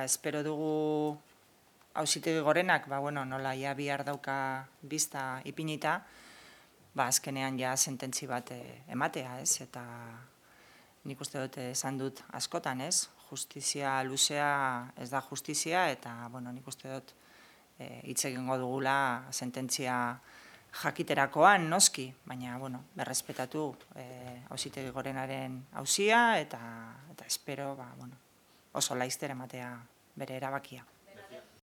espero dugu Auzitegi Gorenak, nola ja bihar dauka bizta ipinita, azkenean ja sententzi bat ematea, ez? Eta nik uste dut esan dut askotan, ez? Justizia luzea ez da justizia, eta nik uste dut hitz egingo dugula sententzia jakiterakoan, noski, baina, berrespetatu Auzitegi Gorenaren auzia, eta espero, oso laizter ematea bere erabakia.